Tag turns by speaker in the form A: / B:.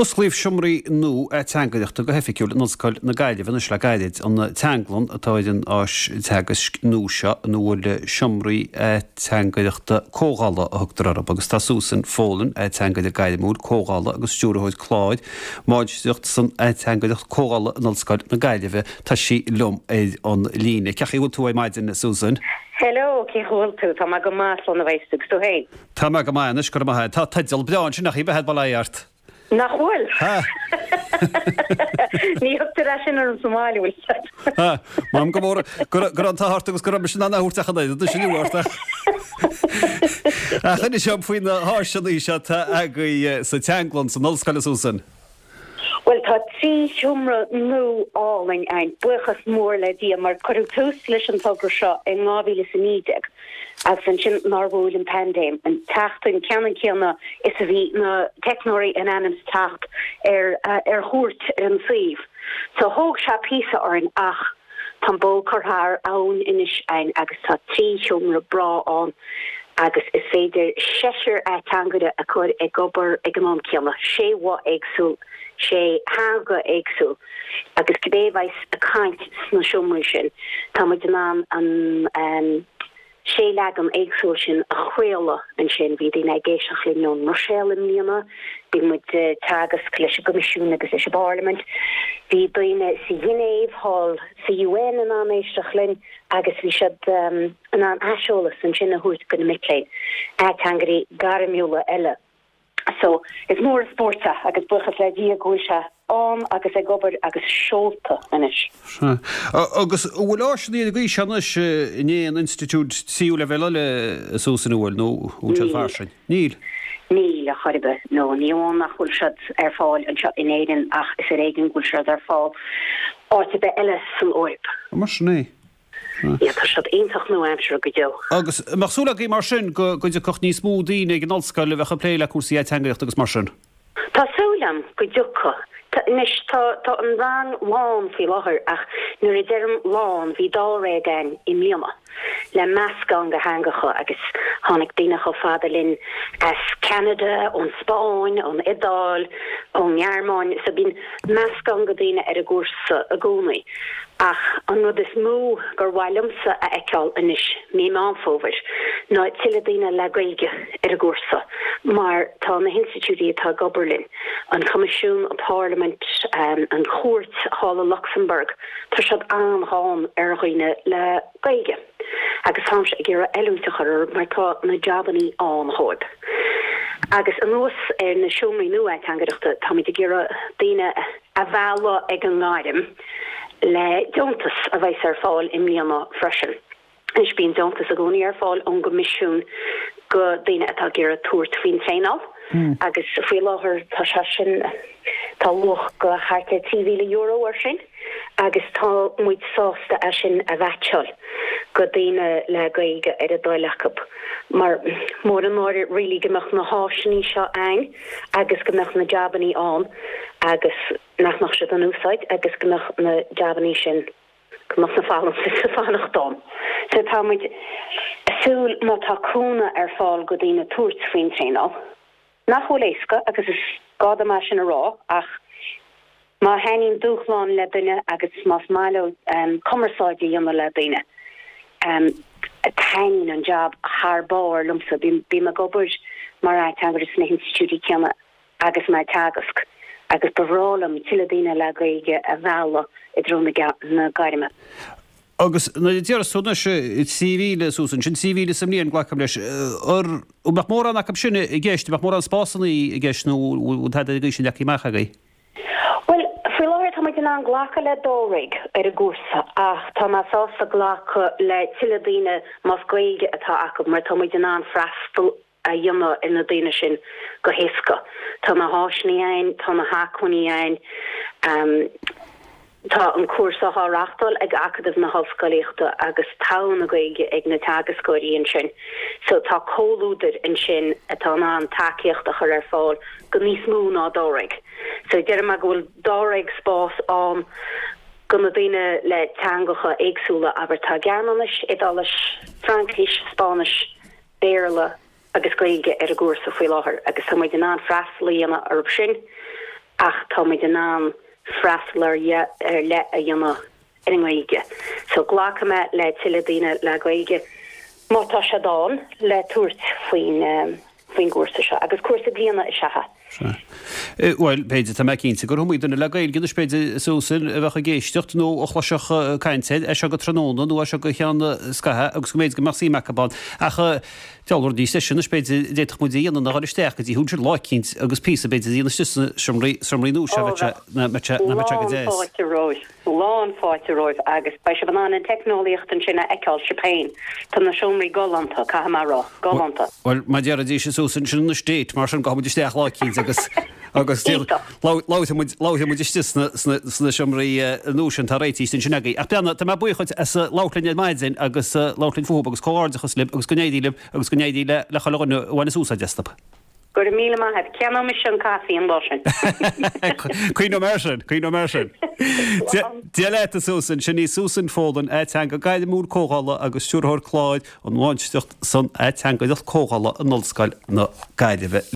A: Osclaíodh seomraí nua ateangaireachta go hoifigiúil in Ollscoil na Gaillimhe anois le gairid. An Teanglann atá ar an áis teagaisc nua seo ina bhfuil seomraí ateangaireachta comhdhála a thugtar orthu agus tá Susan Folan, ateangaire gairmiúil comhdhála agus stiúrthóir cláir, Máistreacht san Ateangaireacht Comhdhála in Ollscoil na Gaillimhe, tá sí liom ar an líne. Cén chaoi a bhfuil tú ar maidin, Susan?
B: Hello, cén chaoi a bhfuil tú? Tá mé go maith, slán a bheas tú, agus tú féin?
A: Tá mé go maith anois, go raibh maith agat. Tá teideal breá ansin, nach ea, bail ó Dhia ort.
B: Nach bhfuil? Ní thugtar é sin orm sa mbaile, bhfuil fhios agat.
A: M'anam go mór go raibh an t-ádh ort agus go raibh mise in ann é a thabhairt ach an oiread anois inniu ort. Ach inis dom faoi na háiseanna seo atá agaibh sa Teanglann san Ollscoil, a Susan.
B: Bhuel, tá 3 sheomra nua álainn againn, buíochas mór le Dia, mar cuireadh tús leis an togra seo in 2019 agus ansin nár bhuail an paindéim an tseachtain ceannann céanna is a bhí na teicneoirí in ainm is teacht ar ar chuairt ar an suíomh. So thóg sé píosa orainn ach Tá an bó curtha thar abhainn anois againn agus tá 3 sheomra breá ann agus is féidir seisear ateangaire a chur ag obair ag an am céanna, sé bhoth éagsúil, sé theanga éagsúil agus cibé a bheas ag caint sna seomraí sin, tá muid in ann an. 6 leagan éagsúil sin a chraoladh ansin. Bhí daoine ag éisteacht linn ón mBruiséil i mbliana, bhí muid ag teagasc leis an gCoimisiún agus leis an bParlaimint, bhí daoine sa Ghinéiv thall sa UN in ann éisteacht linn agus bhí siad in ann aiseolas ansin a thabhairt do na mic léinn, ateangairí gairmiúla eile. So, is mór an spórt é agus buíochas le Dia go bhfuil sé ann agus ag obair agus seolta anois.
A: Sea. Agus an bhfuil áiseanna ar an gcaoi seo anois in aon institiúid tríú leibhéal eile a Susan, an bhfuil, nó an bhfuil siad fairsing?
B: Níl. Níl, a chor ar bith. No, ní amháin nach bhfuil siad ar fáil anseo in Éirinn ach is ar éigean go bhfuil siad ar fáil áit ar bith eile san Eoraip.
A: Mar sin é.
B: Yeah, tá siad iontach nua-aimseartha go deo.
A: Agus an mbeadh súil agaibh mar sin go dtiocfadh níos mó daoine ag an ollscoil a bheadh ag plé le cúrsaí ateangaireachta agus mar sin?
B: Tá súil agam go dtiocfaidh. Anois, tá tá an rang lán faoi láthair ach nuair a deirim lán, bhí dáréag againn i mbliana le meascán de theangacha agus tháinig daoine chomh fada linn as Ceanada, ón Spáinn, ón Iodáil, ón nGearmáin, so bíonn meascán de daoine ar an gcúrsa i gcónaí. Ach an rud is mó gur mhaith liomsa a fheiceáil anois, mí Meán Fómhair, ná tuilleadh daoine le Gaeilge ar an gcúrsa mar tá na hinstitiúidí atá ag obair linn, an Coimisiún, an Pharlaimint, an Chúirt thall i Lucsamburg, tá siad an-ghann ar dhaoine le Gaeilge agus táimse ag iarraidh oiliúint a chur orthu mar tá na jabannaí ann dhóibh. Agus anuas ar na seomraí nua ateangaireachta, táimid ag iarraidh daoine a mhealladh ag an ngairm le deontas a bheas ar fáil i mbliana freisin. Anois bíonn deontas i gcónaí ar fáil ón gCoimisiún go daoine atá ag iarraidh tabhairt faoin traenáil agus faoi láthair tá sé sin, tá luach go thart ar €3,000 air sin agus tá muid sásta é sin a mheaitseáil go daoine le Gaeilge ar a dtoil acu mar mór an náire really go mbeadh na háiseanna seo a'ainn. agus go mbeadh na jabannaí ann agus nach mbeadh siad in úsáid agus go mbeadh na jabannaí sin, go mbeadh na folúntais ag fanacht ann. So tá muid ag súil má tá cúnamh ar fáil go daoine tabhairt faoin traenáil, nach bhfuil éasca agus is gá dom é sin a rá ach má thaitníonn dúshlán le duine agus más maith leo cumarsáid a dhéanamh le daoine, taitníonn an jab thar barr liomsa. Bím ag obair mar ateangaire sna hinstitiúidí céanna agus mé ag teagasc agus ba bhreá liom tuilleadh daoine le Gaeilge a mhealladh i dtreo na gairme.
A: Agus nuair a déarfas tú anois 3,000 suas ansin, 3,000 sa mbliain, glacaim leis, an mbeadh mórán acu sin i gceist, an mbeadh mórán spásanna i gceist nó an bhfuil tada ar an gcaoi sin leagtha amach agaibh?
B: Bhuel, faoi láthair tá muid in ann glacadh le dáréag ar an gcúrsa ach tá mé sásta glacadh le tuilleadh daoine más Gaeilge atá acu mar tá muid in ann freastal a dhéanamh ar na daoine sin go héasca. Tá na háiseanna againn, tá na hacmhainní againn. Tá an cúrsa á reáchtáil ag Acadamh na hOllscolaíochta agus togha na Gaeilge ag na teagascóirí ansin so tá comhluadar ansin atá in ann tacaíocht a chur ar fáil go níos mó ná dáréag. So déarfaidh mé go bhfuil dáréag spás ann go na daoine le teangacha éagsúla, abair tá Gearmáinis, Iodáilis, Fraincis, Spáinnis, Béarla agus Gaeilge ar an gcúrsa faoi láthair agus tá muid in ann freastal a dhéanamh orthu sin. Ach tá muid in ann freastal ar leith a dhéanamh ar an nGaeilge. So glacfaidh mé le tuilleadh daoine le Gaeilge má tá siad ann le tabhairt faoin faoin gcúrsa seo. Agus cúrsa bliana is ea é.
A: Sea. Bhuel, b'fhéidir, tá mé cinnte gur iomaí duine le Gaeilge anois, b'fhéidir, Susan, a bheadh ag éisteacht nó a chloisfeadh caint air, as seo go tráthnóna nó as seo go ceann scaithimh agus go mb'fhéidir go mbeadh suim acu ann. Ach Deabhal rud níos deise anois, b'fhéidir, a d'fhéadfadh muid a dhéanamh ná dhul isteach go dtí ansin lá eicínt agus píosa, b'fhéidir, a dhéanamh istigh sna seomraí, seomraí nua seo, bheadh sé, mbeadh sé, nach mbeadh sé go
B: deas. Lán fáilte romhaibh, lán fáilte romhaibh agus beidh sibh in ann an teicneolaíocht ansin a fheiceáil sibh féin. Tá na seomraí galánta, caithfidh mé a rá, galánta.
A: Bhuel, mar a déarfaidís a Susan, sin anois date, mar sin gabhfaidh muid isteach lá eicínt agus, agus labharfaidh muid, labharfaidh muid istigh sna, sna, sna seomraí nua sin atá réitithe ansin agaibh. Ach breathnaigh, tá mé buíoch dhuit as labhairt linn ar maidin agus labhairt linn fúthu agus comhghairdeachas libh agus go n-éirí libh agus go n-éirí le, le chuile dhuine a bhaineas úsáid astu.
B: Go raibh míle maith agat. Ceannóidh mise an caife an lá sin.
A: Cuimhneoidh mé air sin, cuimhneoidh mé air sin. Dia leat a Susan, sin í Susan Folan, ateangaire gairmiúil comhdhála agus stiúrthóir cláir an Mháistreacht san Ateangaireacht Comhdhála in Ollscoil na Gaillimhe.